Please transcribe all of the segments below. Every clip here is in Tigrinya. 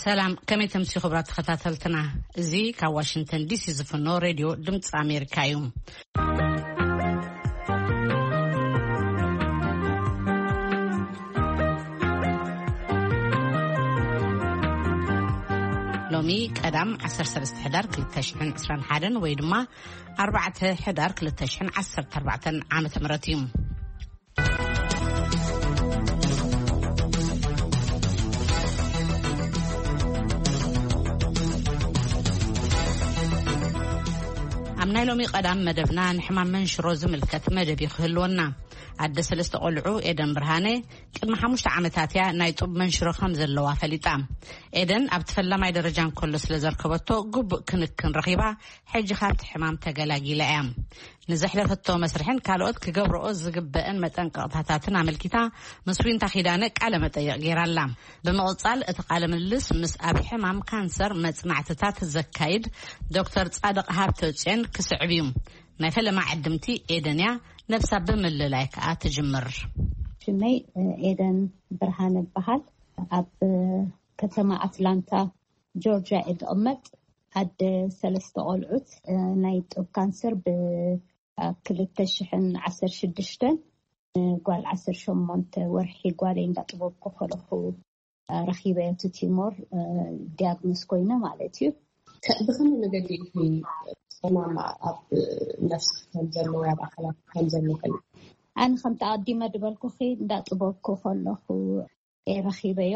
ሰላም፣ ከመይ ተምሲ ክቡራት ተኸታተልትና? እዚ ካብ ዋሽንግተን ዲሲ ዝፍኖ ሬድዮ ድምፂ ኣሜሪካ እዩ። ሎሚ ቀዳም ዓሰርተ ሰለስተ ሕዳር ክልተ ሽሕን ዕስራን ሓደን ወይ ድማ ኣርባዕተ ሕዳር ክልተ ሽሕን ዓሰርተ ኣርባዕተን ዓመተ ምህረት እዩ። ኣብ ናይ ሎሚ ቀዳም መደብና ንሕማም መንሽሮ ዝምልከት መደብ እዩ ክህልወና። ኣደ ሰለስተ ቆልዑ ኤደን ብርሃነ ቅድሚ ሓሙሽተ ዓመታት እያ ናይ ጡብ መንሽሮ ከም ዘለዋ ፈሊጣ። ኤደን ኣብቲ ፈላማይ ደረጃ እንከሎ ስለ ዘርከበቶ ግቡእ ክንክን ረኺባ፣ ሕጂ ካብቲ ሕማም ተገላጊላ እያ። ንዘሕለፈቶ መስርሕን ካልኦት ክገብረኦ ዝግበአን መጠንቀቕታታትን ኣመልኪታ ምስ ዊንታ ኪዳነ ቃለ መጠይቕ ገይራላ። ብምቕጻል እቲ ቃለ ምልልስ ምስ ኣብ ሕማም ካንሰር መጽናዕትታት ዘካይድ ዶክተር ጻድቕ ሃብተጽዮን ክስዕብ እዩ። ናይ ፈለማ ዕድምቲ ኤደን እያ፣ ነብሳ ብምልላይ ከኣ ትጅምር። ሽመይ፣ እ፣ ኤደን ብርሃነ እበሃል። ኣብ፣ እ፣ ከተማ ኣትላንታ ጆርጅያ እየ ዝቕመጥ። ኣደ ሰለስተ ቆልዑት፣ እ፣ ናይ ጡብ ካንሰር ብ-፣ ኣብ ክልተ ሽሕን ዓሰርተ ሽዱሽተን፣ እ፣ ጓል ዓሰርተ ሸሞንተ ወርሒ ጓለይ እንዳጥበብኩ ከለኹ፣ እ፣ ረኺበዮ እቲ ቲሞር፣ እ፣ ዲያግኖስ ኮይነ ማለት እዩ። ከ-፣ ብኸመይ መገዲ ኢኺ ሰማማ ኣብ ነፍስኺ ከም ዘሎ ወይ ኣብ ኣካላትኪ ከም ዘሎ ፈሊጥኪ? ኣነ ከምቲ ኣቐዲመ ዝበልኩኺ እንዳጥበብኩ ከለኹ እየ ረኺበዮ።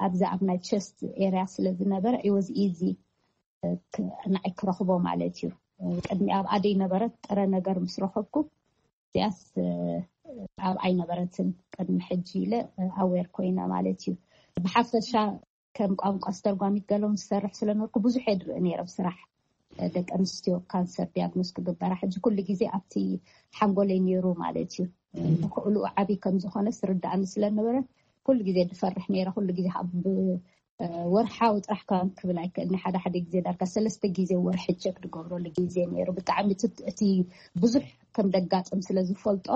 ኣብዚ ኣብ ናይ ቸስት ኤርያ ስለ ዝነበረ it was easy፣ እ፣ ክ-፣ ንዓይ ክረኽቦ ማለት እዩ። እ፣ ቅድሚ ኣብ ኣደይ ነበረት ጥረ ነገር ምስ ረኸብኩ እዚኣስ፣ እ፣ ኣብ ኣይነበረትን ቅድሚ ሕጂ ኢለ፣ እ፣ ኣዌር ኮይነ ማለት እዩ። ብሓፈሻ ከም ቋንቋ ኣስተርጓሚት ገሎም ዝሰርሕ ስለነበርኩ ብዙሕ እየ ዝርኢ ነይረ ብስራሕ፣ እ፣ ደቂ ኣንስትዮ ካንሰር ዲያግኖስ ክግበራ። ሕጂ ኩሉ ግዜ ኣብቲ ሓንጎለይ ነይሩ ማለት እዩ። እ፣ ተኽእልኡ ዓብዪ ከም ዝኾነ ስርዳእኒ ስለነበረ ኩሉ ግዜ ዝፈርሕ ነይረ። ኩሉ ግዜ ኣብ፣ እ፣ ወርሓዊ ጥራሕ ከም ክብል ኣይክእልን። ሓደ ሓደ ግዜ ዳርጋ ሰለስተ ግዜ ወርሒ ቸክ ዝገብረሉ ግዜ ነይሩ። ብጣዕሚ እቲ፣ እቲ ብዙሕ ከም ደጋጥም ስለ ዝፈልጦ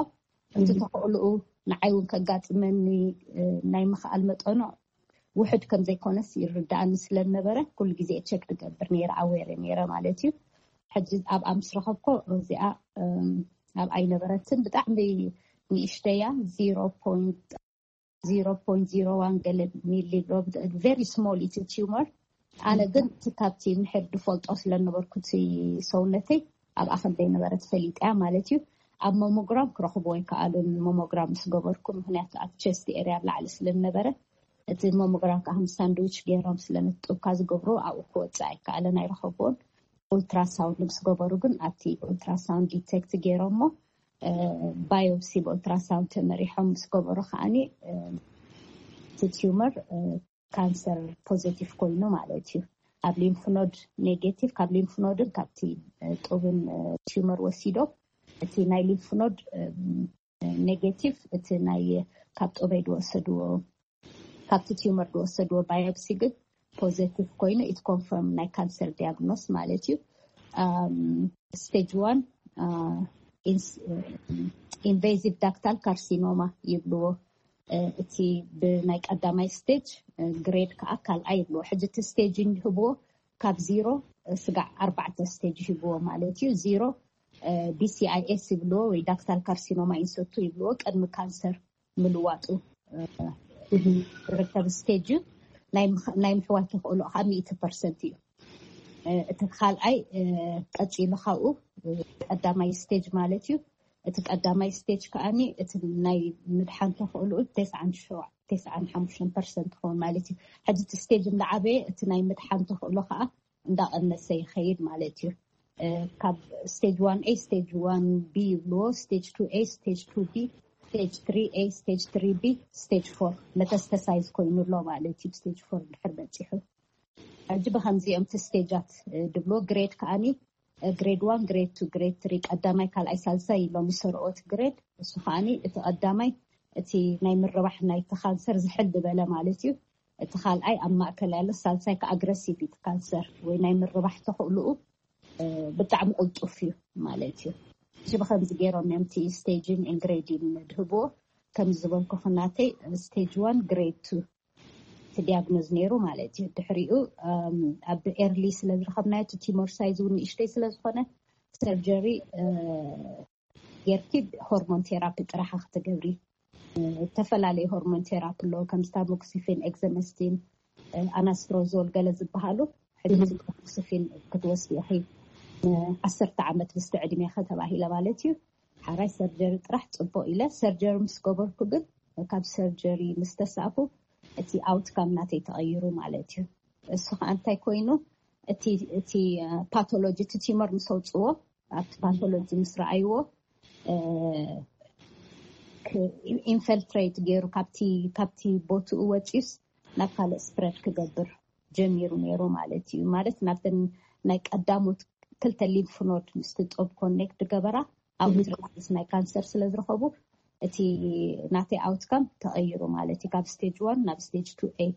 እቲ ተኽእልኡ ንዓይ እውን ከጋጥመኒ፣ እ፣ ናይ ምኽኣል መጠኑ ውሕድ ከም ዘይኮነስ ይርዳእኒ ስለ ነበረ ኩሉ ግዜ ቸክ ዝገብር ነይረ፣ ኣዌር ነይረ ማለት እዩ። ሕጂ ኣብኣ ምስ ረኸብኮ እዚኣ፣ እም፣ ኣብ ኣይነበረትን ብጣዕሚ ንእሽተያ ዜሮ ፖይንት ዜሮ ፖይንት ዜሮ ዋን ገለ ሚሊ ሊብሮ፣ ቨሪ ስሞል እቲ ቲዩመር። ኣነ ግን እቲ ካብቲ ምሕር ዝፈልጦ ስለ ነበርኩ እቲ ሰውነተይ ኣብኣ ከም ዘይነበረ ተፈሊጠ እያ ማለት እዩ። ኣብ ሞሞግራም ክረኽቦ ኣይከኣሉን፣ ሞሞግራም ምስ ገበርኩ፣ ምክንያቱ ኣብ ቸስት ኤርያ ኣብ ላዕሊ ስለ ነበረ። እቲ ሞሞግራም ከዓ ከም ሳንድዊች ገይሮም ስለ ነቲ ጡብካ ዝገብሩ ኣብኡ ክወፅእ ኣይከኣለን፣ ኣይረኸብዎን። ኡልትራሳውንድ ምስ ገበሩ ግን ኣብቲ ኡልትራሳውንድ ዲቴክት ገይሮሞ፣ እ፣ ባዮፕሲ ብኡልትራሳውንድ ተመሪሖም ምስ ገበሩ ከዓኒ፣ እ፣ እቲ ቲዩመር፣ እ፣ ካንሰር ፖዘቲቭ ኮይኑ ማለት እዩ። ኣብ ሊምፍ ኖድ ኔጌቲቭ፣ ካብ ሊምፍ ኖድን ካብቲ፣ እ፣ ጡብን፣ እ፣ ቲዩመር ወሲዶም፣ እቲ ናይ ሊምፍ ኖድ፣ እ፣ ኔጌቲቭ፣ እቲ ናይ ካብ ጡበይ ዝወሰድዎ፣ ካብቲ ቲዩመር ዝወሰድዎ ባዮፕሲ ግን ፖዘቲቭ ኮይኑ፣ ኢት ኮንፈርም ናይ ካንሰር ዲያግኖስ ማለት እዩ። ኣም፣ ስቴጅ ዋን፣ አ፣ ኢንስ-፣ ኢንቬዚቭ ዳክታል ካርሲኖማ ይብልዎ። እ፣ እቲ ብናይ ቀዳማይ ስቴጅ፣ እ፣ ግሬድ ከዓ ካልኣይ ይብልዎ። ሕጂ እቲ ስቴጅ ይህብዎ ካብ ዜሮ፣ እ፣ ስጋዕ ኣርባዕተ ስቴጅ ይህብዎ ማለት እዩ። ዜሮ፣ እ፣ ዲ ሲ ኣይ ኤስ ይብልዎ ወይ ዳክታል ካርሲኖማ ኢንሰቱ ይብልዎ። ቅድሚ ካንሰር ምልዋጡ፣ እ፣ ዝርከብ ስቴጅ እዩ። ናይ ምኽ-፣ ናይ ምሕዋይ ተኽእሎ ከዓ ሚእቲ ፐርሰንት እዩ። እ፣ እቲ ካልኣይ፣ እ፣ ቀጺሉ ካብኡ፣ እ፣ ቀዳማይ ስቴጅ ማለት እዩ። እቲ ቀዳማይ ስቴጅ ከዓኒ እቲ ናይ ምድሓን ተኽእሎኡ ተስዓን ሸውዓን፣ ተስዓን ሓሙሽተን ፐርሰንት ክኸውን ማለት እዩ። ሕጂ እቲ ስቴጅ እንዳዓበየ እቲ ናይ ምድሓን ተኽእሎ ከዓ እንዳቐነሰ ይኸይድ ማለት እዩ። እ፣ ካብ ስቴጅ ዋን ኤ፣ ስቴጅ ዋን ቢ ይብልዎ፣ ስቴጅ ቱ ኤ፣ ስቴጅ ቱ ቢ፣ ስቴጅ ትሪ ኤ፣ ስቴጅ ትሪ ቢ፣ ስቴጅ ፎር መተስተሳይዝ ኮይኑ ኣሎ ማለት እዩ። ስቴጅ ፎር ድሕር በፂሑ ሕጂ ብኸምዚኦም እቲ ስቴጃት፣ እ፣ ድብሎ ግሬድ ከዓኒ፣ እ፣ ግሬድ ዋን፣ ግሬድ ቱ፣ ግሬድ ትሪ፣ ቀዳማይ፣ ካልኣይ፣ ሳልሳይ ኢሎም ይሰርኦት ግሬድ። እሱ ከዓኒ እቲ ቀዳማይ እቲ ናይ ምርባሕ ናይቲ ካንሰር ዝሕል ዝበለ ማለት እዩ። እቲ ካልኣይ ኣብ ማእከል ያለ፣ ሳልሳይ ከኣ ኣግረሲቭ እዩ። እቲ ካንሰር ወይ ናይ ምርባሕ ተኽእልኡ፣ እ፣ ብጣዕሚ ቅልጡፍ እዩ ማለት እዩ። እዚ ብኸምዚ ገይሮም እዮም እቲ ስቴጅን ግሬድን ድህብዎ። ከም ዝበልኩ ክናተይ ስቴጅ ዋን፣ ግሬድ ቱ፣ ዲያግኖዝ ነይሩ ማለት እዩ። ድሕሪኡ ኣብ ኤርሊ ስለ ዝረኸብናዮ እቲ ቲሞር ሳይዝ እውን ንእሽተይ ስለ ዝኾነ ሰርጀሪ ጌርኪ ሆርሞን ቴራፒ ጥራሓ ክትገብሪ። ዝተፈላለዩ ሆርሞን ቴራፒ ኣለዎ፣ ከም ታሞክሲፊን፣ ኤግዘመስቲን፣ ኣናስትሮዞል ገለ ዝበሃሉ። ሕጂ ታሞክሲፊን ክትወስዲ ኢኺ ዓሰርተ ዓመት ምስቲ ዕድሜ ከተባሂለ ማለት እዩ። ሓራይ ሰርጀሪ ጥራሕ ጽቡቕ ኢለ ሰርጀሪ ምስ ገበርኩ ግን ካብ ሰርጀሪ ምስ ተሳእኩ እቲ ኣውትካም ናተይ ተቐይሩ ማለት እዩ። እሱ ከዓ እንታይ ኮይኑ እቲ እቲ ፓቶሎጂ እቲ ቲመር ምስ ኣውፅዎ ኣብቲ ፓቶሎጂ ምስ ረኣይዎ ኢንፈልትሬት ገይሩ ካብቲ ቦትኡ ወፂስ ናብ ካልእ ስፕረድ ክገብር ጀሚሩ ነይሩ ማለት እዩ። ማለት ናብተን ናይ ቀዳሞት ክልተ ሊንፍ ኖድ ምስቲ ጦብ ኮኔክት ገበራ ኣውትራይስ ናይ ካንሰር ስለ ዝረኸቡ እቲ ናተይ ኣውትካም ተቐይሩ ማለት እዩ። ካብ ስቴጅ ዋን ናብ ስቴጅ ቱ ኤ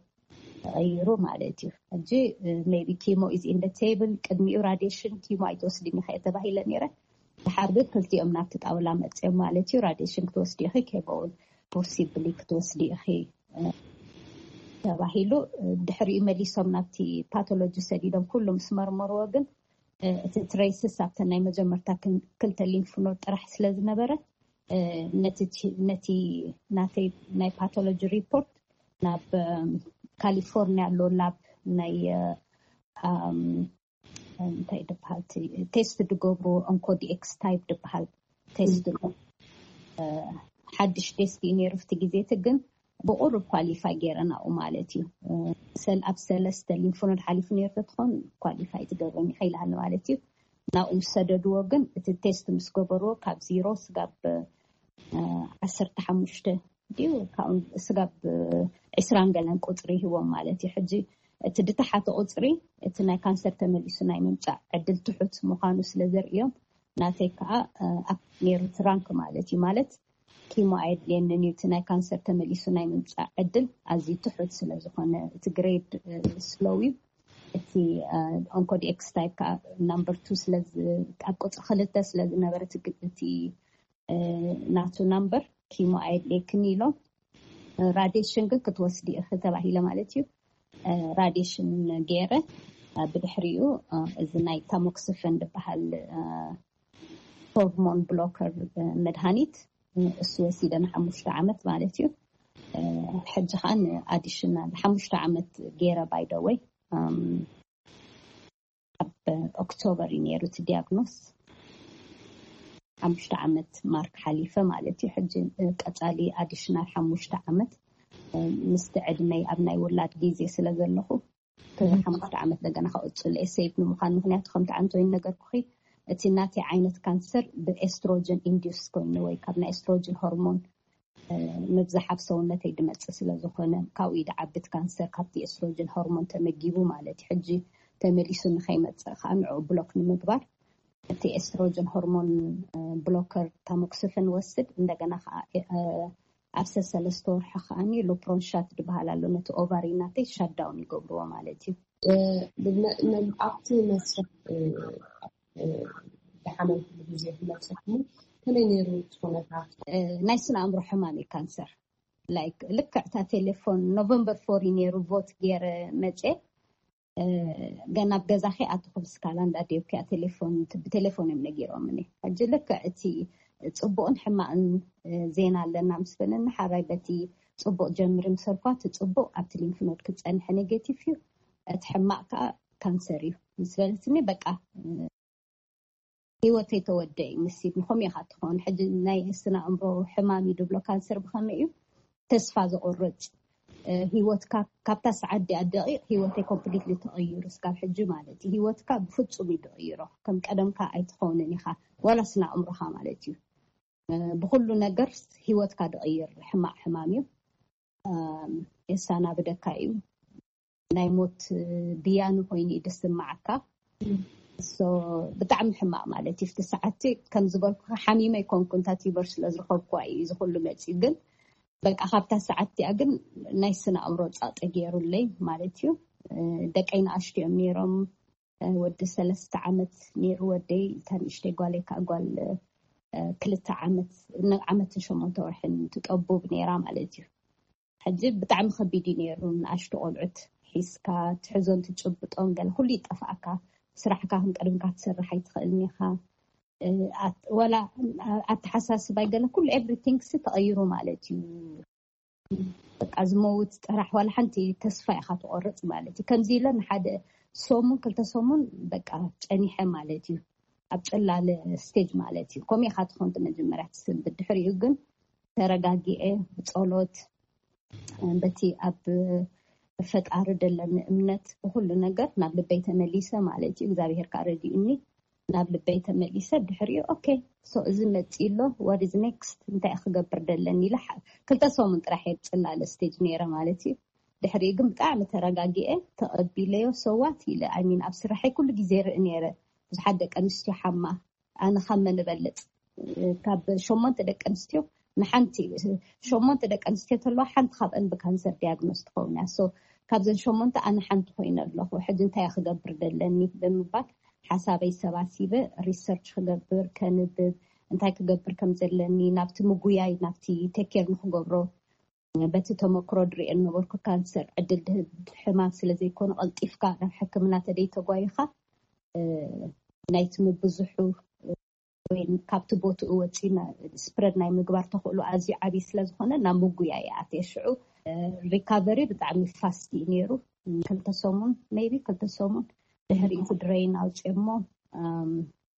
ተቐይሩ ማለት እዩ። ሕጂ ሜቢ ኪሞ ኢዝ ኢን ቴብል፣ ቅድሚኡ ራዲሽን ኪሞ ኣይትወስድን ኢኸ ተባሂለ ነይረ። ድሓር ግን ክልቲኦም ናብቲ ጣውላ መፅኦም ማለት እዩ። ራዲሽን ክትወስዲ ኢኺ፣ ኬሞ እውን ፖሲብሊ ክትወስዲ ኢኺ ተባሂሉ። ድሕሪኡ መሊሶም ናብቲ ፓቶሎጂ ሰዲዶም ኩሉ ምስ መርመርዎ ግን እቲ ትሬስስ ኣብተን ናይ መጀመርታ ክልተ ሊንፍ ኖድ ጥራሕ ስለ ዝነበረ ነቲ ናተይ ናይ ፓቶሎጂ ሪፖርት ናብ ካሊፎርኒያ ኣሎ ላብ ናይ እንታይ ድበሃል ቴስት ድገብሩ ኦንኮዲኤክስ ታይፕ ድበሃል ቴስት ኣሎ። ሓድሽ ቴስት እዩ ነይሩ ፍቲ ግዜ እቲ ግን ብቁሩብ ኳሊፋይ ገይረ ናብኡ ማለት እዩ። ኣብ ሰለስተ ሊንፎኖድ ሓሊፉ ነይሩ ተትኾን ኳሊፋይ ትገብረኒ ከይልሃኒ ማለት እዩ። ናብኡ ምስ ሰደድዎ ግን እቲ ቴስት ምስ ገበርዎ ካብ ዜሮ ስጋብ ዓሰርተ ሓሙሽተ ድዩ ካብኡ ስጋብ ዕስራን ገለን ቁፅሪ ይህቦም ማለት እዩ። ሕጂ እቲ ድተሓተ ቁፅሪ እቲ ናይ ካንሰር ተመሊሱ ናይ ምምፃእ ዕድል ትሑት ምዃኑ ስለ ዘርእዮም ናተይ ከዓ ኣብ ነይሩ ትራንክ ማለት እዩ። ማለት ኪሞ ኣየድልየንን እዩ። እቲ ናይ ካንሰር ተመሊሱ ናይ ምምፃእ ዕድል ኣዝዩ ትሑት ስለ ዝኾነ እቲ ግሬድ ስሎው እዩ። እቲ ኦንኮዲኤክስ ታይፕ ከዓ ናምበር ቱ ስለ ኣብ ቁፅሪ ክልተ ስለ ዝነበረ እቲ ናቱ ናምበር ኪሞ ኣየድልየክን ኢሎም ራዲሽን ግን ክትወስዲ ኢኺ ተባሂለ ማለት እዩ። ራዲሽን ገይረ ብድሕሪኡ እዚ ናይ ታሞክስፈን ዝበሃል ሆርሞን ብሎከር መድሃኒት እሱ ወሲደ ንሓሙሽተ ዓመት ማለት እዩ። ሕጂ ከዓ ንኣዲሽናል ሓሙሽተ ዓመት ገይረ ባይደወይ ኣብ ኦክቶበር እዩ ነይሩ እቲ ዲያግኖስ። ሓሙሽተ ዓመት ማርክ ሓሊፈ ማለት እዩ። ሕጂ ቀፃሊ ኣዲሽናል ሓሙሽተ ዓመት ምስቲ ዕድመይ ኣብ ናይ ውላድ ግዜ ስለ ዘለኹ ሓሙሽተ ዓመት ደገና ከቅፅል እየ ሴፍ ንምዃን። ምክንያቱ ከምቲ ዓንቶይን ነገርኩኺ እቲ ናተይ ዓይነት ካንሰር ብኤስትሮጀን ኢንዲስ ኮይኑ ወይ ካብ ናይ ኤስትሮጀን ሆርሞን ምብዛሕ ኣብ ሰውነተይ ድመፅእ ስለ ዝኾነ ካብኡ ድዓብት ካንሰር ካብቲ ኤስትሮጀን ሆርሞን ተመጊቡ ማለት እዩ። ሕጂ ተመሊሱ ንኸይመፅእ ከዓ ንዕኡ ብሎክ ንምግባር እቲ ኤስትሮጀን ሆርሞን ብሎከር ታሞክስፍን ወስድ እንደገና ከዓ ኣብ ሰሰለስተ ወርሒ ከዓኒ ሉፕሮንሻት ዝበሃል ኣሎ ነቲ ኦቫሪ ናተይ ሻዳውን ይገብርዎ ማለት እዩ። ኣብቲ መስርሕ ድሓመልኩሉ ግዜ ክመፀኩም ከመይ ነይሩ እቲ ኩነታት? ናይ ስነ ኣእምሮ ሕማም እዩ ካንሰር። ላይክ ልክዕታ ቴሌፎን ኖቨምበር ፎር እዩ ነይሩ ቮት ገይረ መፀ ገና ኣብ ገዛኺ ኣትኹ ብስካላ እንዳደብኪ ቴሌፎን ብቴሌፎን እዮም ነጊሮምኒ። ሕጂ ልክዕ እቲ ፅቡቅን ሕማቅን ዜና ኣለና ምስ በለኒ ሓራይ በቲ ፅቡቅ ጀምሪ ምሰልኳ እቲ ፅቡቅ ኣብቲ ሊንፍ ኖድ ክፀንሐ ኔጌቲቭ እዩ፣ እቲ ሕማቅ ከዓ ካንሰር እዩ ምስ በለትኒ በቃ ህይወተይ ተወደ እዩ ምስ ኢድኒ ከምኡ ኢኻ ትኸውን። ሕጂ ናይ ስነ ኣእምሮ ሕማም እዩ ድብሎ ካንሰር ብኸመይ እዩ ተስፋ ዘቑርጥ ህይወትካ ካብታ ሰዓት ዲኣ ደቂቕ ህይወተይ ኮምፕሊትሊ ተቐይሩ እስካብ ሕጂ ማለት እዩ። ህይወትካ ብፍጹም እዩ ድቕይሮ ከም ቀደምካ ኣይትኸውንን ኢኻ ዋላ ስነ ኣእምሮኻ ማለት እዩ። ብኩሉ ነገር ህይወትካ ድቕይር ሕማቕ ሕማም እዩ። የሳናብደካ እዩ። ናይ ሞት ብያኑ ኮይኑ እዩ ዝስማዓካ። ብጣዕሚ ሕማቕ ማለት እዩ። ፍቲ ሰዓቲ ከም ዝበልኩ ሓሚመ ይኮንኩ እንታ ቲበር ስለ ዝረኸብኩዋ እዩ እዚ ኩሉ መፅዩ። ግን በቃ ካብታ ሰዓት እቲኣ ግን ናይ ስነ ኣእምሮ ፃጠ ገይሩለይ ማለት እዩ። ደቀይ ንኣሽቱ እዮም ነይሮም። ወዲ ሰለስተ ዓመት ነይሩ ወደይ፣ እታ ንእሽተይ ጓለይ ከዓ ጓል ክልተ ዓመት ዓመትን ሸሞንተ ወርሕን ትጠቡብ ነይራ ማለት እዩ። ሕጂ ብጣዕሚ ከቢድ እዩ ነይሩ። ንኣሽቱ ቆልዑት ሒዝካ ትሕዞን ትጭብጦን ገለ ኩሉ ይጠፍኣካ። ስራሕካ ከም ቀድምካ ትሰርሕ ኣይትኽእልን ኢኻ። ዋላ ኣተሓሳስባይ ገለ ኩሉ ኤቭሪቲንግ ሲ ተቐይሩ ማለት እዩ። በቃ ዝመውት ጥራሕ ዋላ ሓንቲ ተስፋ ኢኻ ትቆርፅ ማለት እዩ። ከምዚ ኢለ ንሓደ ሰሙን ክልተ ሰሙን በቃ ጨኒሐ ማለት እዩ። ኣብ ጨላለ ስቴጅ ማለት እዩ። ከምኡ ኢኻ ትኾን መጀመርያ ትስንብድ። ድሕሪኡ ግን ተረጋጊኤ ብፀሎት በቲ ኣብ ፈጣሪ ደለኒ እምነት ብኩሉ ነገር ናብ ልበይ ተመሊሰ ማለት እዩ። እግዚኣብሔር ከዓ ረዲኡኒ ናብ ልበይ ተመሊሰ። ድሕሪኡ ኦኬ ሶ እዚ መፂ ኣሎ what is next እንታይ ክገብር ደለኒ ኢለ ክልተ ሰሙን ጥራሕ እየ ብፅላለ ስቴጅ ነይረ ማለት እዩ። ድሕሪኡ ግን ብጣዕሚ ተረጋጊኤ ተቐቢለዮ ሰዋት ኢለ ኣይሚን ኣብ ስራሐይ ኩሉ ግዜ ርኢ ነይረ። ብዙሓት ደቂ ኣንስትዮ ሓማ ኣነ ካብ መን እበልፅ? ካብ ሸሞንተ ደቂ ኣንስትዮ ንሓንቲ ሸሞንተ ደቂ ኣንስትዮ ተለዋ ሓንቲ ካብአን ብካንሰር ዲያግኖስ ትኸውን እያ። ሶ ካብዘን ሸሞንተ ኣነ ሓንቲ ኮይነ ኣለኹ። ሕጂ እንታይ ክገብር ደለኒ ብምባል ሓሳበይ ሰባሲበ ሪሰርች ክገብር ከንብብ እንታይ ክገብር ከም ዘለኒ ናብቲ ምጉያይ ናብቲ ቴኬር ንክገብሮ በቲ ተመክሮ ድሪኦ ነበርኩ። ካንሰር ዕድል ድህብ ሕማም ስለዘይኮነ ቀልጢፍካ ናብ ሕክምና ተደይ ተጓይኻ ናይቲ ምብዝሑ ወይ ካብቲ ቦትኡ ወፂ ስፕረድ ናይ ምግባር ተኽእሎ ኣዝዩ ዓብዪ ስለዝኾነ ናብ ምጉያ ይኣትየ። ሽዑ ሪካቨሪ ብጣዕሚ ፋስት እዩ ነይሩ። ክልተ ሰሙን ሜቢ ክልተ ሰሙን ድሕሪ እቲ ድረይን ኣውፅኦሞ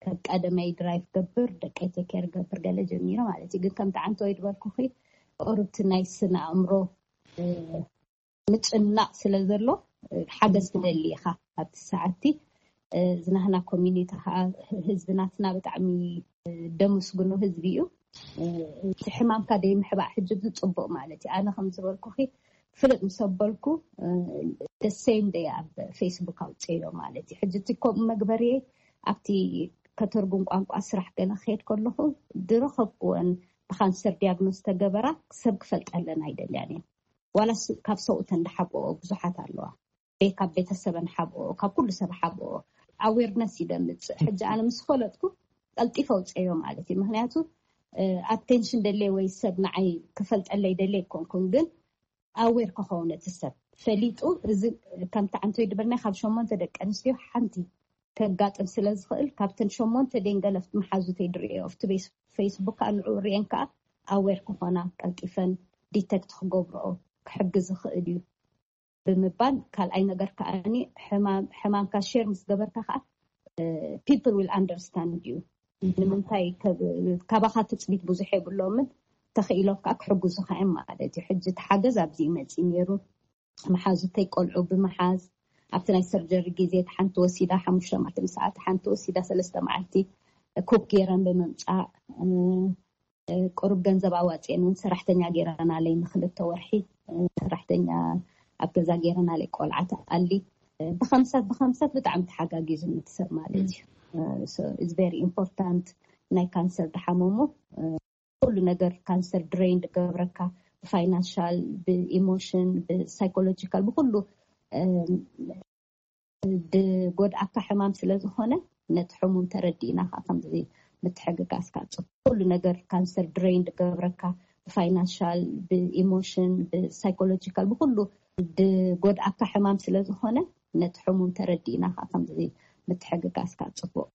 ከም ቀደመይ ድራይቭ ገብር ደቀይ ቴኬር ገብር ገለ ጀሚረ ማለት እዩ። ግን ከምቲ ዓንተ ወይ ድበልኩኺ ቁርብቲ ናይ ስነ ኣእምሮ ምጭናቕ ስለ ዘሎ ሓገዝ ትደሊ ኢኻ ኣብቲ ሰዓቲ። ዝናህና ኮሚኒቲ ከዓ ህዝቢ ናትና ብጣዕሚ ደመስግኑ ህዝቢ እዩ። እቲ ሕማምካ ደይምሕባእ ሕጂ እዚ ፅቡቅ ማለት እዩ። ኣነ ከም ዝበልኩኺ ፍልጥ ምስ ኣበልኩ ደሴም ደይ ኣብ ፌስቡክ ኣውፅዮ ማለት እዩ። ሕጂ እቲ ከምኡ መግበሪ ኣብቲ ከተርጉም ቋንቋ ስራሕ ገለ ክሄድ ከለኹ ድረኸብኩወን ብካንሰር ዲያግኖስ ተገበራ ሰብ ክፈልጠለን ኣይደልያን እየ። ዋላ ካብ ሰብኡተን ድሓብኦ ብዙሓት ኣለዋ። ቤ ካብ ቤተሰበን ሓብኦ ካብ ኩሉ ሰብ ሓብኦ ኣዌርነስ እዩ ደምፅእ። ሕጂ ኣነ ምስ ፈለጥኩ ቀልጢፈ ኣውፅዮ ማለት እዩ። ምክንያቱ ኣቴንሽን ደለየ ወይ ሰብ ንዓይ ክፈልጠለይ ደለየ ኣይኮንኩን፣ ግን ኣዌር ክኸውን እቲ ሰብ ፈሊጡ እዚ ከምቲ ዓንቶይ ድበልና ካብ ሸሞንተ ደቂ ኣንስትዮ ሓንቲ ከጋጥም ስለ ዝኽእል ካብተን ሸሞንተ ደንገለፍቲ መሓዙተይ ድርእዮ ኣብቲ ፌስቡክ ከዓ ንዕኡ ርእየን ከዓ ኣዌር ክኾና ቀልጢፈን ዲተክት ክገብርኦ ክሕግዝ ይኽእል እዩ ብምባል ካልኣይ ነገር ከዓኒ ሕማምካ ሼር ምስ ገበርካ ከዓ people will understand you ንምንታይ ካባኻ ትፅቢት ብዙሕ የብሎምን ተኽኢሎም ከዓ ክሕግዙኻ እዮም ማለት እዩ። ሕጂ እቲ ሓገዝ ኣብዚ ይመፅእ ነይሩ። መሓዙተይ ቆልዑ ብምሓዝ ኣብቲ ናይ ሰርጀሪ ግዜ ሓንቲ ወሲዳ ሓሙሽተ መዓልቲ ምሳኣ ሓንቲ ወሲዳ ሰለስተ መዓልቲ ኩክ ገይረን ብምምፃእ ቁሩብ ገንዘብ ኣዋፅአን እውን ሰራሕተኛ ገይረናለይ ንክልተ ወርሒ ሰራሕተኛ ኣብ ገዛ ገይረናለይ ቆልዓ ተኣሊ ብከምሳት ብከምሳት ብጣዕሚ ተሓጋጊዙ ንትሰብ ማለት እዩ። ኢዝ ቨሪ ኢምፖርታንት ናይ ካንሰር ድሓመሙ ኩሉ ነገር ካንሰር ድሬን ድገብረካ ብፋይናንሻል ብኢሞሽን ብሳይኮሎጂካል ብኩሉ ድጎድኣካ ሕማም ስለዝኾነ ነቲ ሕሙም ተረዲእና ከዓ ከምዚ ምትሕግጋዝካ ፅቡቅ ኩሉ ነገር ካንሰር ድሬን ድገብረካ ብፋይናንሻል ብኢሞሽን ብሳይኮሎጂካል ብኩሉ ድጎድኣካ ሕማም ስለዝኾነ ነቲ ሕሙም ተረዲእና ከዓ ከምዚ ምትሕግጋዝካ ፅቡቅ።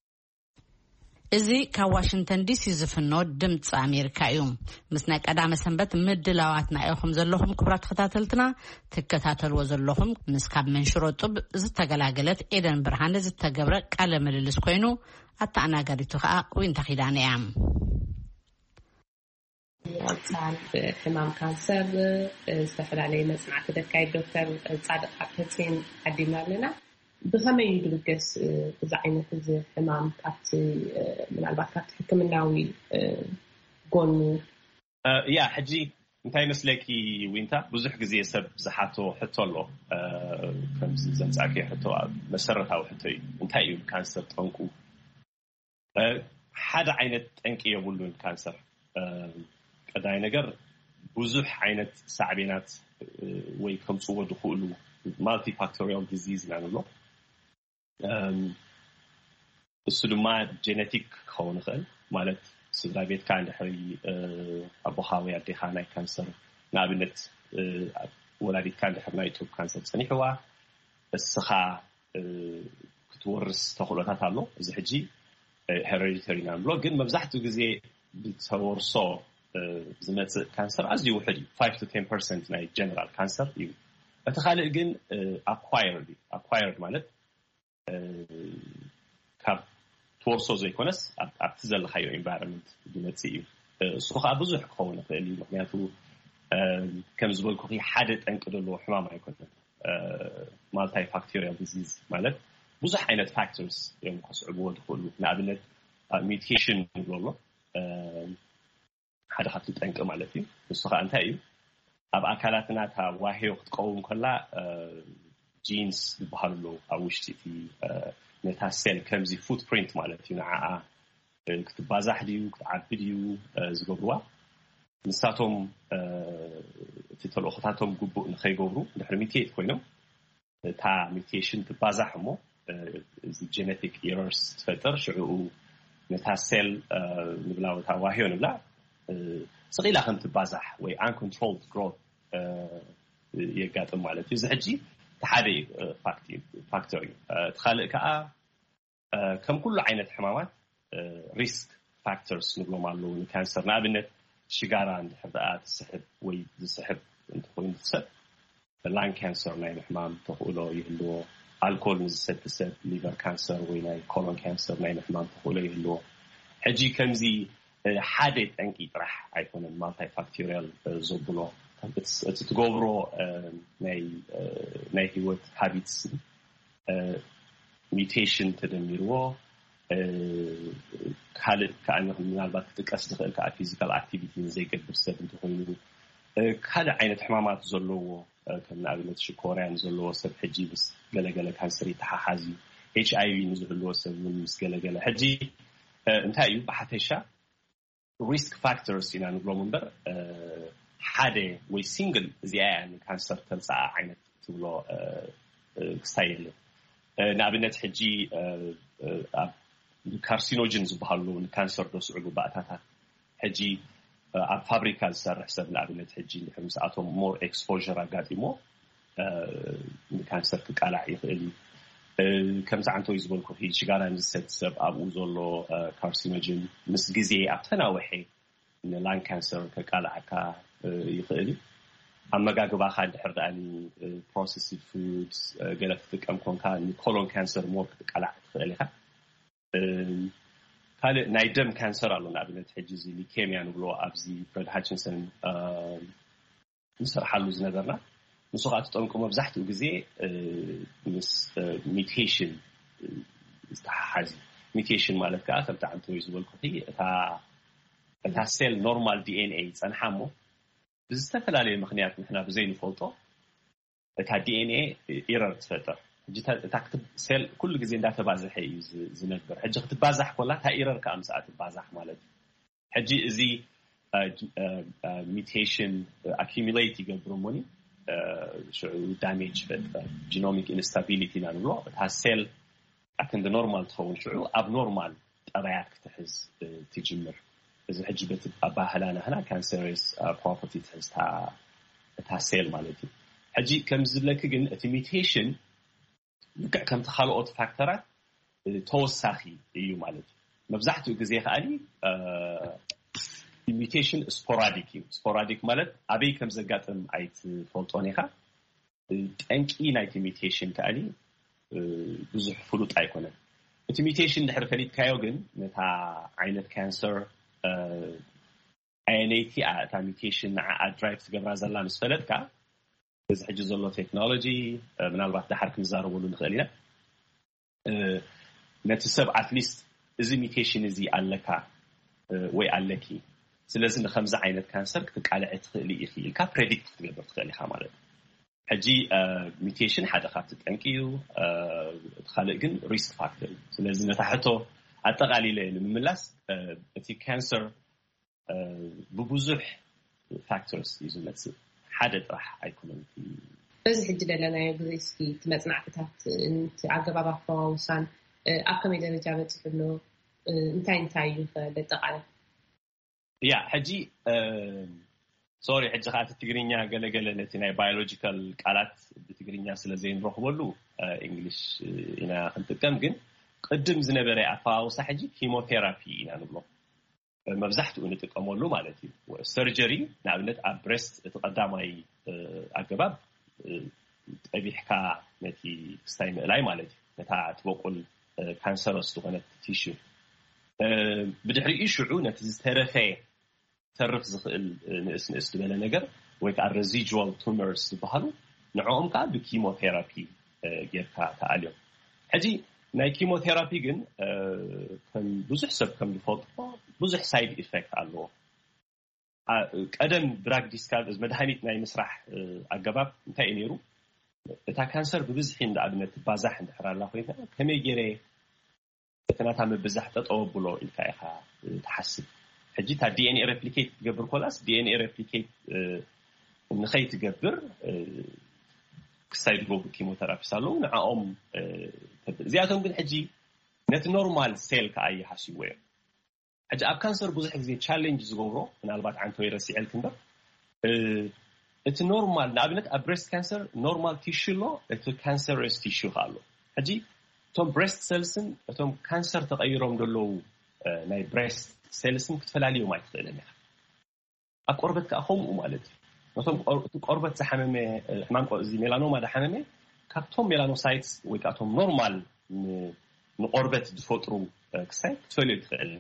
እዚ ካብ ዋሽንግተን ዲሲ ዝፍኖ ድምፂ ኣሜሪካ እዩ። ምስ ናይ ቀዳመ ሰንበት ምድላዋትና ኢኹም ዘለኹም ክቡራት ተኸታተልትና። ትከታተልዎ ዘለኹም ምስ ካብ መንሽሮ ጡብ ዝተገላገለት ኤደን ብርሃነ ዝተገብረ ቃለ ምልልስ ኮይኑ ኣተኣናጋዲቱ ከዓ ዊንታ ኪዳነ እያ። ኣንጻር ሕማም ካንሰር ዝተፈላለየ መጽናዕቲ ደካይድ ዶክተር ጻድቕ ሓብተጽዮን ዓዲምና ኣለና። ብኸመይ እዩ ድብገስ እዚ ዓይነት እዚ ሕማም ካብቲ ምናልባት ካብቲ ሕክምናዊ ጎኑ? ያ ሕጂ እንታይ መስለኪ ዊንታ፣ ብዙሕ ግዜ ሰብ ዝሓቶ ሕቶ ኣሎ። ከምዚ ዘምጻእኪ ሕቶ መሰረታዊ ሕቶ እዩ። እንታይ እዩ ካንሰር ጠንቁ? ሓደ ዓይነት ጠንቂ የብሉን ካንሰር። ቀዳይ ነገር ብዙሕ ዓይነት ሳዕቤናት ወይ ከምፅዎ ዝኽእሉ ማልቲፋክቶሪያል ዲዚዝ ኢና ንብሎ። እሱ ድማ ጀነቲክ ክኸውን ይኽእል፣ ማለት ስድራ ቤትካ እንድሕሪ ኣቦኻ ወይ ኣዴኻ ናይ ካንሰር ንኣብነት ወላዲትካ እንድሕር ናይ ጡብ ካንሰር ጸኒሕዋ፣ እስኻ ክትወርስ ተኽእሎታት ኣሎ። እዚ ሕጂ ሄሬዲተሪ ኢና ንብሎ፣ ግን መብዛሕትኡ ግዜ ብተወርሶ ዝመፅእ ካንሰር ኣዝዩ ውሕድ እዩ። ፋይቭ ቱ ቴን ፐርሰንት ናይ ጀነራል ካንሰር እዩ። እቲ ካልእ ግን ኣኳየርድ እዩ። ኣኳየርድ ማለት ካብ ትወርሶ ዘይኮነስ ኣብቲ ዘለካዮ ኤንቫይሮንመንት ዝመፅእ እዩ። እሱ ከዓ ብዙሕ ክኸውን ይኽእል እዩ። ምክንያቱ ከም ዝበልኩ ሓደ ጠንቂ ዘለዎ ሕማም ኣይኮነን። ማልታይ ፋክቶሪያል ዲዚዝ ማለት ብዙሕ ዓይነት ፋክተርስ እዮም ከስዕብዎ ዝኽእሉ። ንኣብነት ሚውቴሽን ንብሎ ኣሎ፣ ሓደ ካብቲ ጠንቂ ማለት እዩ። ንሱ ከዓ እንታይ እዩ? ኣብ ኣካላትና እታ ዋህዮ ክትቀውም ከላ ጂንስ ዝበሃሉ ኣለዉ ኣብ ውሽጢ እቲ ነታ ሴል ከምዚ ፉትፕሪንት ማለት እዩ። ንዓኣ ክትባዛሕ ድዩ ክትዓቢ ድዩ ዝገብርዋ፣ ንሳቶም እቲ ተልእኾታቶም ግቡእ ንኸይገብሩ ድሕሪ ሚውቴት ኮይኖም እታ ሚውቴሽን ትባዛሕ እሞ እዚ ጀነቲክ ኢረርስ ትፈጥር። ሽዕኡ ነታ ሴል ንብላ ወታ ዋህዮ ንብላ ስቕ ኢላ ከም ትባዛሕ ወይ uncontrolled growth የጋጥም ማለት እዩ። እዚ ሕጂ እቲ ሓደ ፋክተር እዩ። እቲ ካልእ ከዓ ከም ኩሉ ዓይነት ሕማማት ሪስክ ፋክተርስ ንብሎም ኣለዉ ንካንሰር። ንኣብነት ሽጋራ እንድሕር ደኣ ትስሕብ ወይ ዝስሕብ እንተኮይኑ እቲ ሰብ ላንግ ካንሰር ናይ ምሕማም ተኽእሎ ይህልዎ። ኣልኮል ንዝሰቲ ሰብ ሊቨር ካንሰር ወይ ናይ ኮሎን ካንሰር ናይ ምሕማም ተኽእሎ ይህልዎ። ሕጂ ከምዚ ሓደ ጠንቂ ጥራሕ ኣይኮነን ማልታይ ፋክቶሪያል ዘብሎ። እቲ ትገብሮ ናይ ህይወት ሃቢትስ ሚውቴሽን ተደሚርዎ ካልእ ከዓ ምናልባት ክጥቀስ ዝኽእል ከዓ ፊዚካል ኣክቲቪቲ ዘይገብር ሰብ እንተኮይኑ ካልእ ዓይነት ሕማማት ዘለዎ ከም ንኣብነት ሽኮርያ ንዘለዎ ሰብ ሕጂ ምስ ገለገለ ካንሰር ይተሓሓዝ እዩ። ኤች ኣይ ቪ ንዝህልዎ ሰብ እውን ምስ ገለገለ ሕጂ እንታይ እዩ ብሓፈሻ ሪስክ ፋክተርስ ኢና ንብሎም እምበር ሓደ ወይ ሲንግል እዚኣ እያ ንካንሰር ተምፅኣ ዓይነት ትብሎ ክስታይ የለን። ንኣብነት ሕጂ ኣብ ካርሲኖጅን ዝበሃሉ ንካንሰር ደስዕቡ ባእታታት ሕጂ ኣብ ፋብሪካ ዝሰርሕ ሰብ ንኣብነት ሕጂ እንድሕር ምስኣቶም ሞር ኤክስፖር ኣጋጢሞ ንካንሰር ክቃላዕ ይኽእል እዩ። ከምዚ ዓንተወይ ዝበልኩ ሽጋራ ንዝሰቲ ሰብ ኣብኡ ዘሎ ካርሲኖጅን ምስ ግዜ ኣብ ተናወሐ ንላንግ ካንሰር ከቃልዓካ ይኽእል እዩ። ኣመጋግባኻ እንድሕር ደኣ ፕሮሰስድ ፉድስ ገለ ትጥቀም ኮንካ ንኮሎን ካንሰር ሞር ክትቃላዕ ትኽእል ኢኻ። ካልእ ናይ ደም ካንሰር ኣሎ። ንኣብነት ሕጂ እዚ ሊኬሚያ ንብሎ ኣብዚ ፍረድ ሃችንሰን ንሰርሓሉ ዝነበርና ንሱ ከዓ ትጠንቁ መብዛሕትኡ ግዜ ምስ ሚውቴሽን ዝተሓሓዝ። ሚውቴሽን ማለት ከዓ ከምቲ ዓንተወይ ዝበልኩ እታ ሴል ኖርማል ዲኤንኤ ይፀንሓ እሞ ብዝተፈላለየ ምክንያት ንሕና ብዘይንፈልጦ እታ ዲኤንኤ ኢረር ትፈጥር። እታ ሴል ኩሉ ግዜ እንዳተባዘሐ እዩ ዝነብር። ሕጂ ክትባዛሕ ኮላ እታ ኢረር ከዓ ምስኣ ትባዛሕ ማለት እዩ። ሕጂ እዚ ሚውቴሽን ኣኪሙሌት ይገብር እሞኒ ሽዑ ዳሜጅ ይፈጥር። ጂኖሚክ ኢንስታቢሊቲ ኢና ንብሎ። እታ ሴል ኣክንዲ ኖርማል ትኸውን ሽዑ ኣብ ኖርማል ጠባያት ክትሕዝ ትጅምር። እዚ ሕጂ በቲ ኣባህላ ናህና ካንሰረስ ፕሮፐርቲ ትሕዝታ እታ ሴል ማለት እዩ። ሕጂ ከም ዝብለኪ ግን እቲ ሚውቴሽን ልክዕ ከምቲ ካልኦት ፋክተራት ተወሳኺ እዩ ማለት እዩ። መብዛሕትኡ ግዜ ከዓኒ ሚውቴሽን ስፖራዲክ እዩ። ስፖራዲክ ማለት ኣበይ ከም ዘጋጥም ኣይትፈልጦን ኢኻ። ጠንቂ ናይቲ ሚውቴሽን ከዓኒ ብዙሕ ፍሉጥ ኣይኮነን። እቲ ሚውቴሽን ድሕር ፈሊጥካዮ ግን ነታ ዓይነት ካንሰር ኣየነይቲ እያ እታ ሚውቴሽን ንዓኣ ድራይቭ ትገብራ ዘላ ምስ ፈለጥካ እዚ ሕጂ ዘሎ ቴክኖሎጂ ምናልባት ድሓር ክንዛረበሉ ንኽእል ኢና። ነቲ ሰብ ኣትሊስት እዚ ሚውቴሽን እዚ ኣለካ ወይ ኣለኪ፣ ስለዚ ንከምዚ ዓይነት ካንሰር ክትቃልዐ ትኽእሊ ኢኺ ኢልካ ፕሬዲክት ክትገብር ትኽእል ኢኻ ማለት እዩ። ሕጂ ሚውቴሽን ሓደ ካብቲ ጠንቂ እዩ። እቲ ካልእ ግን ሪስክ ፋክተር እዩ። ስለዚ ነታ ሕቶ ኣጠቓሊለ ንምምላስ እቲ ካንሰር ብብዙሕ ፋክተርስ እዩ ዝመፅእ፣ ሓደ ጥራሕ ኣይኮነን። በዚ ሕጂ ዘለናዮ ግዜ እስኪ እቲ መፅናዕትታት እቲ ኣገባብ ኣፈዋውሳን ኣብ ከመይ ደረጃ በፂሑ ኣሎ እንታይ እንታይ እዩ ከለጠቃለ? ያ ሕጂ ሶሪ፣ ሕጂ ከዓ እቲ ትግርኛ ገለገለ ነቲ ናይ ባዮሎጂካል ቃላት ብትግርኛ ስለ ዘይንረኽበሉ እንግሊሽ ኢና ክንጥቀም። ግን ቅድም ዝነበረ ኣፈዋውሳ ሕጂ ኪሞቴራፒ ኢና ንብሎ፣ መብዛሕትኡ ንጥቀመሉ ማለት እዩ። ሰርጀሪ ንኣብነት ኣብ ብሬስት እቲ ቀዳማይ ኣገባብ ጠቢሕካ ነቲ ክስታይ ምእላይ ማለት እዩ፣ ነታ ትበቁል ካንሰረስ ዝኾነት ቲሹ። ብድሕሪኡ ሽዑ ነቲ ዝተረፈ ተርፍ ዝኽእል ንእስ ንእስ ዝበለ ነገር ወይ ከዓ ሬዚጁዋል ቱመርስ ዝበሃሉ፣ ንዕኦም ከዓ ብኪሞቴራፒ ጌርካ ተኣልዮም። ሕጂ ናይ ኪሞቴራፒ ግን ከም ብዙሕ ሰብ ከም ዝፈልጦ ብዙሕ ሳይድ ኢፌክት ኣለዎ። ቀደም ድራግ ዲስካቨሪ፣ መድሃኒት ናይ ምስራሕ ኣገባብ እንታይ እዩ ነይሩ? እታ ካንሰር ብብዝሒ እንደ ኣብነት ትባዛሕ እንድሕር ኣላ ኮይና፣ ከመይ ገይረ እቲ ናታ ምብዛሕ ጠጠው ኣብሎ ኢልካ ኢኻ ትሓስብ። ሕጂ እታ ዲኤንኤ ሬፕሊኬት ትገብር ኮላስ፣ ዲኤንኤ ሬፕሊኬት ንኸይትገብር ክሳይ ዝገብሩ ኪሞቴራፒስ ኣለዉ፣ ንዕኦም ተብል። እዚኣቶም ግን ሕጂ ነቲ ኖርማል ሴል ከዓ ይሃስይዎ እዮም። ሕጂ ኣብ ካንሰር ብዙሕ ግዜ ቻሌንጅ ዝገብሮ፣ ምናልባት ዓንተ ወይ ረሲዐልክ እምበር፣ እቲ ኖርማል፣ ንኣብነት ኣብ ብሬስት ካንሰር ኖርማል ቲሹ ኣሎ፣ እቲ ካንሰረስ ቲሹ ከ ኣሎ። ሕጂ እቶም ብሬስት ሴልስን እቶም ካንሰር ተቐይሮም ዘለዉ ናይ ብሬስት ሴልስን ክትፈላልዮም ኣይትኽእልን ኢኻ። ኣብ ቆርበት ከዓ ከምኡ ማለት እዩ። ነቶም እቲ ቆርበት ዝሓመመ፣ ሕማም እዚ ሜላኖማ ዝሓመመ ካብቶም ሜላኖሳይትስ ወይ ከዓ እቶም ኖርማል ንቆርበት ዝፈጥሩ ክሳይ ክትፈልዮ ትኽእል።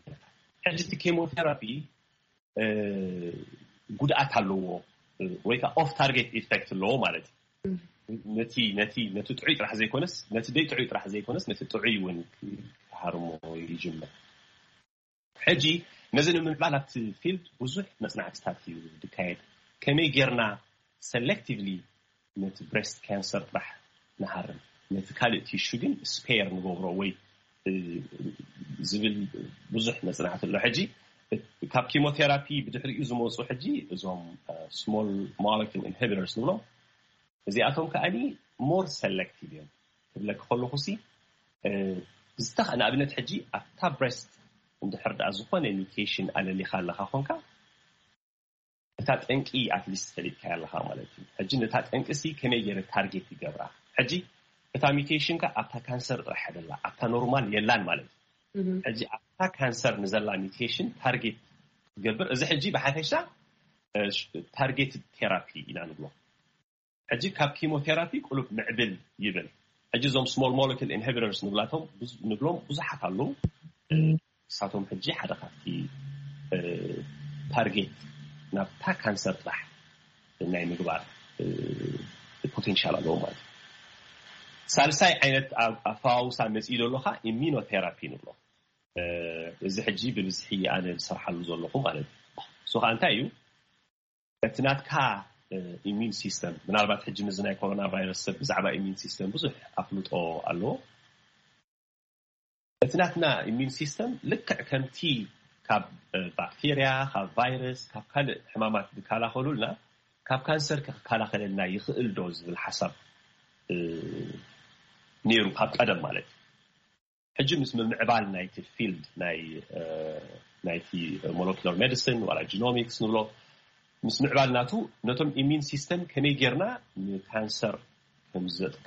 ሕጂ እቲ ኬሞቴራፒ ጉድኣት ኣለዎ ወይ ከዓ ኦፍ ታርጌት ኢፌክት ኣለዎ ማለት እዩ። ነቲ ነቲ ነቲ ጥዑይ ጥራሕ ዘይኮነስ፣ ነቲ ደይ ጥዑይ ጥራሕ ዘይኮነስ፣ ነቲ ጥዑይ እውን ክሃርሞ ይጅምር። ሕጂ ነዚ ንምምዕባል ኣብቲ ፊልድ ብዙሕ መጽናዕትታት እዩ ዝካየድ። ከመይ ጌርና ሰሌክቲቭሊ ነቲ ብሬስት ካንሰር ጥራሕ ንሃርም፣ ነቲ ካልእ ቲሹ ግን ስፔር ንገብሮ ወይ ዝብል ብዙሕ መጽናዕቲ ኣሎ። ሕጂ ካብ ኪሞቴራፒ ብድሕሪኡ ዝመፁ ሕጂ እዞም ስሞል ሞለኪል ኢንሂቢተርስ ንብሎም፣ እዚኣቶም ከኣኒ ሞር ሰሌክቲቭ እዮም ክብለክ ከለኹ ሲ ዝተኽ ንኣብነት ሕጂ ኣብታ ብሬስት እንድሕር ደኣ ዝኾነ ሚውቴሽን ኣለሊኻ ኣለኻ ኮንካ፣ እታ ጠንቂ ኣትሊስት ፈሊጥካ ኣለኻ ማለት እዩ። ሕጂ ነታ ጠንቂ ሲ ከመይ ገይረ ታርጌት ይገብራ? ሕጂ እታ ሚውቴሽን ከ ኣብታ ካንሰር ጥራሕ ደላ፣ ኣብታ ኖርማል የላን ማለት እዩ። ሕጂ ኣብታ ካንሰር ንዘላ ሚውቴሽን ታርጌት ትገብር። እዚ ሕጂ ብሓፈሻ ታርጌት ቴራፒ ኢና ንብሎ። ሕጂ ካብ ኪሞቴራፒ ቁሉብ ምዕብል ይብል። ሕጂ እዞም ስሞል ሞለኪል ኢንሂቢተርስ ንብላቶም ንብሎም ብዙሓት ኣለዉ። ንሳቶም ሕጂ ሓደ ካብቲ ታርጌት ናብታ ካንሰር ጥራሕ ናይ ምግባር ፖቴንሻል ኣለዎ ማለት እዩ። ሳልሳይ ዓይነት ኣፈዋውሳ መፅኢ ዘሎ ከዓ ኢሚኖቴራፒ ንብሎ። እዚ ሕጂ ብብዝሒ ኣነ ዝሰርሓሉ ዘለኹ ማለት እዩ። እሱ ከዓ እንታይ እዩ? እቲ ናትካ ኢሚን ሲስተም፣ ምናልባት ሕጂ ምዚ ናይ ኮሮና ቫይረስ ሰብ ብዛዕባ ኢሚን ሲስተም ብዙሕ ኣፍልጦ ኣለዎ። እቲ ናትና ኢሚን ሲስተም ልክዕ ከምቲ ካብ ባክቴርያ፣ ካብ ቫይረስ፣ ካብ ካልእ ሕማማት ዝከላኸሉልና ካብ ካንሰር ክከላኸለልና ይኽእል ዶ ዝብል ሓሳብ ነይሩ ካብ ቀደም ማለት እዩ። ሕጂ ምስ ምምዕባል ናይቲ ፊልድ ናይ ናይቲ ሞለኪላር ሜዲሲን ዋላ ጂኖሚክስ ንብሎ፣ ምስ ምዕባል ናቱ ነቶም ኢሚን ሲስተም ከመይ ጌርና ንካንሰር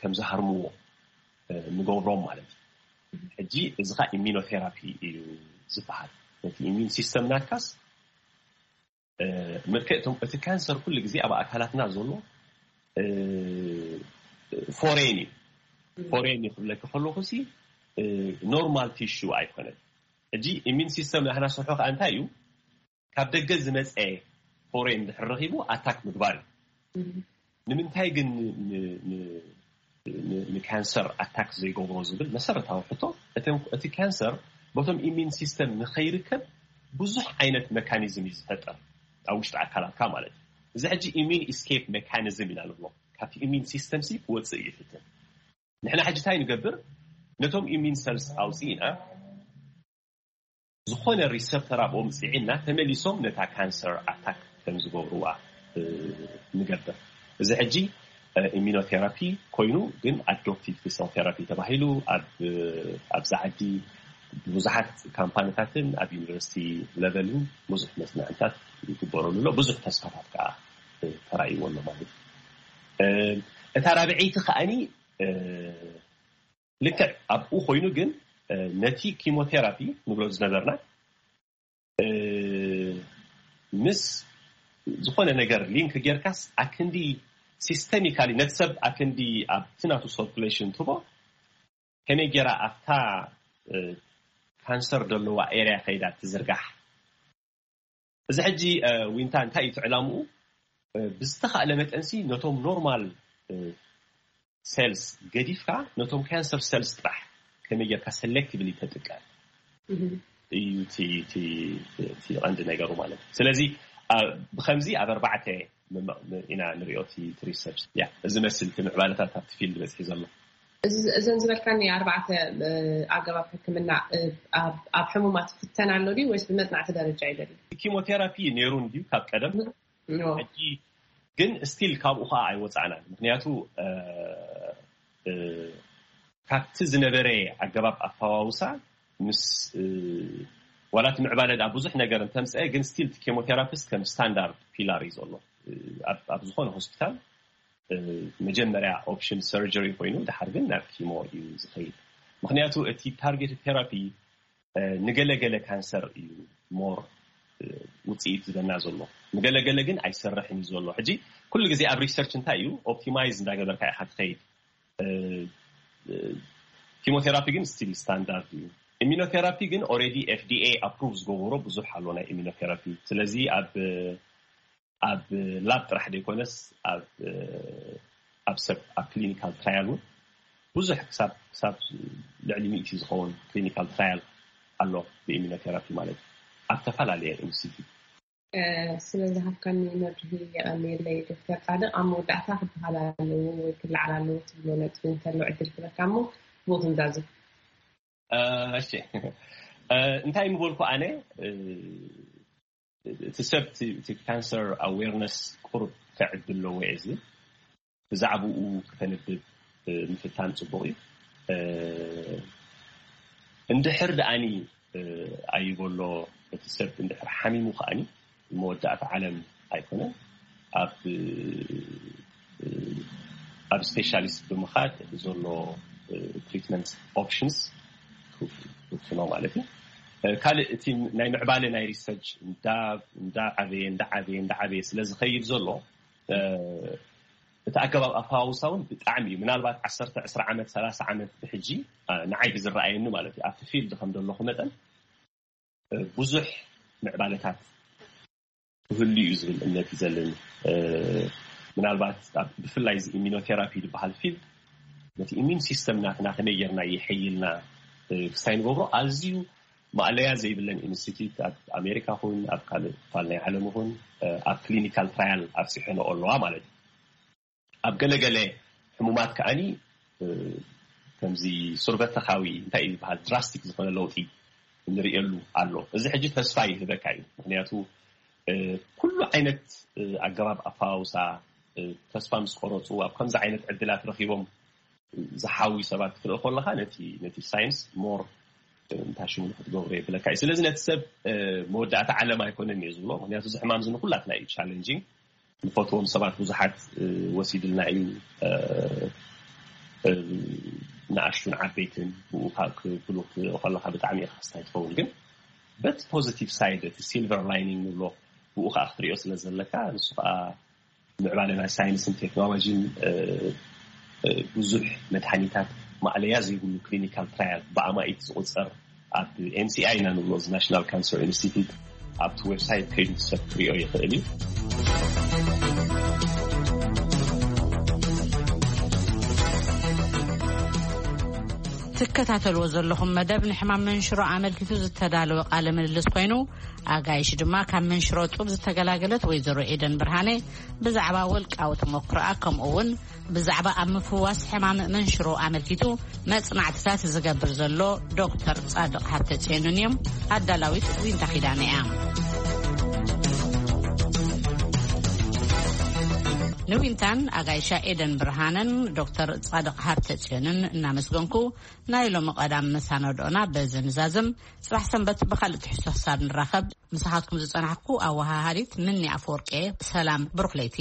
ከም ዝሃርምዎ ንገብሮም ማለት እዩ። ሕጂ እዚ ካ ኢሚኖቴራፒ እዩ ዝበሃል። ነቲ ኢሚን ሲስተም ናትካስ ምልክዕ እቶም እቲ ካንሰር ኩሉ ግዜ ኣብ ኣካላትና ዘሎ ፎሬን እዩ። ፎሬን እዩ ክብለኪ ከለኹ ሲ ኖርማል ቲሹ ኣይኮነን። ሕጂ ኢሚን ሲስተም ናህና ስርሑ ከዓ እንታይ እዩ? ካብ ደገ ዝመፀ ፎሬን ድሕር ረኺቡ ኣታክ ምግባር እዩ። ንምንታይ ግን ንካንሰር ኣታክ ዘይገብሮ ዝብል መሰረታዊ ሕቶ፣ እቲ ካንሰር በቶም ኢሚን ሲስተም ንኸይርከብ ብዙሕ ዓይነት መካኒዝም እዩ ዝፈጠር ኣብ ውሽጢ ኣካላትካ ማለት እዩ። እዚ ሕጂ ኢሚን ኢስኬፕ ሜካኒዝም ኢና ንብሎ። ካብቲ ኢሚን ሲስተም ሲ ክወፅእ ይፍትን። ንሕና ሕጂ እንታይ ንገብር? ነቶም ኢሚን ሰልስ ኣውፅኢና ዝኾነ ሪሰፕተር ኣብኦም ፅዒና ተመሊሶም ነታ ካንሰር ኣታክ ከም ዝገብርዋ ንገብር። እዚ ሕጂ ኢሚኖቴራፒ ኮይኑ ግን ኣዶፕቲቭ ቲ ሰል ቴራፒ ተባሂሉ ኣብዚ ዓዲ ብዙሓት ካምፓኒታትን ኣብ ዩኒቨርሲቲ ለቨልን ብዙሕ መፅናዕትታት ይግበረሉ ኣሎ። ብዙሕ ተስፋታት ከዓ ተራእይዎ ኣሎ ማለት እዩ። እታ ራብዐይቲ ከዓኒ ልክዕ ኣብኡ ኮይኑ ግን ነቲ ኪሞቴራፒ ንብሎ ዝነበርና ምስ ዝኾነ ነገር ሊንክ ጌርካስ ኣክንዲ ሲስተሚካሊ ነቲ ሰብ ኣክንዲ ኣብቲ ናቱ ሰርኩሌሽን ትቦ ከመይ ጌራ ኣብታ ካንሰር ዘለዋ ኤርያ ከይዳ ትዝርጋሕ። እዚ ሕጂ ዊንታ እንታይ እዩ ትዕላምኡ? ብዝተኻእለ መጠንሲ ነቶም ኖርማል ሴልስ ገዲፍካ ነቶም ካንሰር ሴልስ ጥራሕ ከመይ ጌርካ ሰሌክቲቭሊ ተጥቀም እዩ እቲ ቀንዲ ነገሩ ማለት እዩ። ስለዚ ብከምዚ ኣብ ኣርባዕተ ኢና ንሪኦ እቲ ሪሰርች። እዚ መስል እቲ ምዕባለታት ኣብቲ ፊልድ በፅሒ ዘሎ። እዘን ዝበልካኒ ኣርባዕተ ኣገባብ ሕክምና ኣብ ሕሙማት ፍተን ኣሎ ድዩ ወይስ ብመፅናዕቲ ደረጃ እዩ ዘሎ? ኪሞቴራፒ ነይሩ እንድዩ ካብ ቀደም። ሕጂ ግን ስቲል ካብኡ ከዓ ኣይወፃእናን። ምክንያቱ ካብቲ ዝነበረ ኣገባብ ኣፈዋውሳ ምስ ዋላ እቲ ምዕባለ ዳ ብዙሕ ነገር እንተምፀአ ግን ስቲል ኬሞቴራፒስት ከም ስታንዳርድ ፒላር እዩ ዘሎ ኣብ ዝኾነ ሆስፒታል። መጀመርያ ኦፕሽን ሰርጀሪ ኮይኑ ድሓር ግን ናብ ኪሞ እዩ ዝኸይድ። ምክንያቱ እቲ ታርጌት ቴራፒ ንገለገለ ካንሰር እዩ ሞር ውፅኢት ዝበና ዘሎ፣ ንገለገለ ግን ኣይሰርሕን እዩ ዘሎ። ሕጂ ኩሉ ግዜ ኣብ ሪሰርች እንታይ እዩ ኦፕቲማይዝ እንዳገበርካ ኢካ ትኸይድ። ኪሞቴራፒ ግን ስቲል ስታንዳርድ እዩ። ኢሚኖቴራፒ ግን ኦሬዲ ኤፍዲኤ ኣፕሩቭ ዝገበሮ ብዙሕ ኣሎ ናይ ኢሚኖቴራፒ። ስለዚ ኣብ ኣብ ላብ ጥራሕ ዘይኮነስ ኣብ ኣብ ሰብ ኣብ ክሊኒካል ትራያል እውን ብዙሕ ክሳብ ክሳብ ልዕሊ ሚእቲ ዝኸውን ክሊኒካል ትራያል ኣሎ ብኢሚኖቴራፒ ማለት እዩ ኣብ ተፈላለየ ኢንስቲትዩት። ስለ ዝሃብካኒ መብርሂ የቐንየለይ ዶክተር ጻድቕ። ኣብ መወዳእታ ክበሃል ኣለዎ ወይ ክለዓል ኣለዎ ትብሎ ነጥቢ እንተሎ ዕድል ክበካ እሞ ብኡ ክንዛዝም። እሺ እንታይ ምበልኩ ኣነ እቲ ሰብ እቲ ካንሰር ኣዌርነስ ቁሩብ ከዕቢ ኣለዎ እየ ዝብል። ብዛዕባኡ ክተንብብ ምፍታን ፅቡቕ እዩ። እንድሕር ደኣኒ ኣይበሎ እቲ ሰብ እንድሕር ሓሚሙ ከኣኒ መወዳእታ ዓለም ኣይኮነን። ኣብ ኣብ ስፔሻሊስት ብምኻድ ዘሎ ትሪትመንት ኦፕሽንስ ክውስኖ ማለት እዩ። ካልእ እቲ ናይ ምዕባለ ናይ ሪሰርች እንዳዓበየ እንዳዓበየ እንዳዓበየ ስለ ዝኸይድ ዘሎ እቲ ኣገባብ ኣፈዋውሳ እውን ብጣዕሚ እዩ። ምናልባት ዓሰርተ ዕስራ ዓመት ሰላሳ ዓመት ብሕጂ ንዓይ ብዝረኣየኒ ማለት እዩ ኣብቲ ፊልድ ከም ዘለኹ መጠን ብዙሕ ምዕባለታት ክህሉ እዩ ዝብል እምነት እዩ ዘለኒ። ምናልባት ብፍላይ እዚ ኢሚኖቴራፒ ዝበሃል ፊልድ ነቲ ኢሚን ሲስተም ናትና ከመይ ጌርና የሐይልና ክሳይ ንገብሮ ኣዝዩ ማእለያ ዘይብለን ኢንስቲትዩት ኣብ ኣሜሪካ ኹን ኣብ ካልእ ክፋል ናይ ዓለም ኹን ኣብ ክሊኒካል ትራያል ኣብፂሐንኦ ኣለዋ ማለት እዩ። ኣብ ገለገለ ሕሙማት ከዓኒ ከምዚ ሱርበተኻዊ እንታይ እዩ ዝበሃል ድራስቲክ ዝኾነ ለውጢ ንርእየሉ ኣሎ። እዚ ሕጂ ተስፋ ይህበካ እዩ። ምክንያቱ ኩሉ ዓይነት ኣገባብ ኣፈዋውሳ ተስፋ ምስ ቆረፁ ኣብ ከምዚ ዓይነት ዕድላት ረኪቦም ዝሓዊ ሰባት ክትርኢ ከለካ ነቲ ነቲ ሳይንስ ሞር እንታይ ሽሙ ንክትገብሮ የብለካ እዩ። ስለዚ ነቲ ሰብ መወዳእታ ዓለም ኣይኮነን እየ ዝብሎ። ምክንያቱ እዚ ሕማም እዚ ንኩላትና እዩ ቻለንጂንግ። ንፈትዎም ሰባት ብዙሓት ወሲድልና እዩ። ንኣሽቱን ዓበይትን ብኡ ክብሉ ክትሪኦ ከለካ ብጣዕሚ ኢካ ክስታይ ትኸውን። ግን በቲ ፖዚቲቭ ሳይድ እቲ ሲልቨር ላይኒንግ ንብሎ ብኡ ከዓ ክትሪኦ ስለ ዘለካ ንሱ ከዓ ምዕባለ ናይ ሳይንስን ቴክኖሎጂን ብዙሕ መድሃኒታት ማእለያ ዘይብሉ ክሊኒካል ትራያል ብኣማኢት ዝቁፀር ኣብ ኤንሲኣይ ኢና ንብሎ እዚ ናሽናል ካንሰር ኢንስቲትዩት ኣብቲ ዌብሳይት ከይዱ ሰብ ክሪኦ ይኽእል እዩ። ትከታተልዎ ዘለኹም መደብ ንሕማም መንሽሮ ኣመልኪቱ ዝተዳለወ ቃለ ምልልስ ኮይኑ ኣጋይሽ ድማ ካብ መንሽሮ ጡብ ዝተገላገለት ወይዘሮ ኤደን ብርሃነ ብዛዕባ ወልቃዊ ተመክሮኣ ከምኡ እውን ብዛዕባ ኣብ ምፍዋስ ሕማም መንሽሮ ኣመልኪቱ መጽናዕትታት ዝገብር ዘሎ ዶክተር ጻድቕ ሃብተጽዮንን እዮም። ኣዳላዊት ዊንታ ኪዳነ እያ። ንዊንታን ኣጋይሻ ኤደን ብርሃነን ዶክተር ጻድቕ ሃብተጽዮንን እናመስገንኩ ናይ ሎሚ ቀዳም መሳነድኦና በዚ ንዛዝም። ጽባሕ ሰንበት ብኻልእ ትሕዝቶ ክሳብ ንራኸብ ምሳኻትኩም ዝጸናሕኩ ኣወሃሃዲት ምኒ ኣፈወርቄ። ሰላም ብሩኽ ለይቲ።